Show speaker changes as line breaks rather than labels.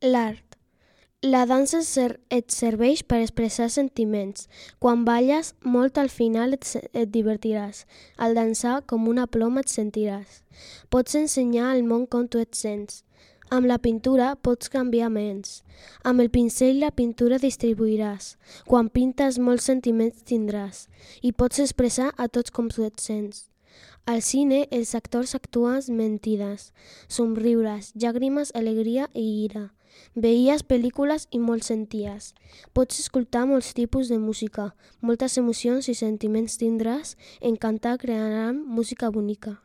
L'art. La dansa et serveix per expressar sentiments. Quan balles, molt al final et divertiràs. Al dansar, com una ploma et sentiràs. Pots ensenyar al món com tu et sents. Amb la pintura pots canviar ments. Amb el pincell la pintura distribuiràs. Quan pintes molts sentiments tindràs. I pots expressar a tots com tu et sents. Al cine els actors actuen mentides, somriures, llàgrimes, alegria i ira. Veies pel·lícules i molt senties. Pots escoltar molts tipus de música, moltes emocions i sentiments tindràs. En cantar crearan música bonica.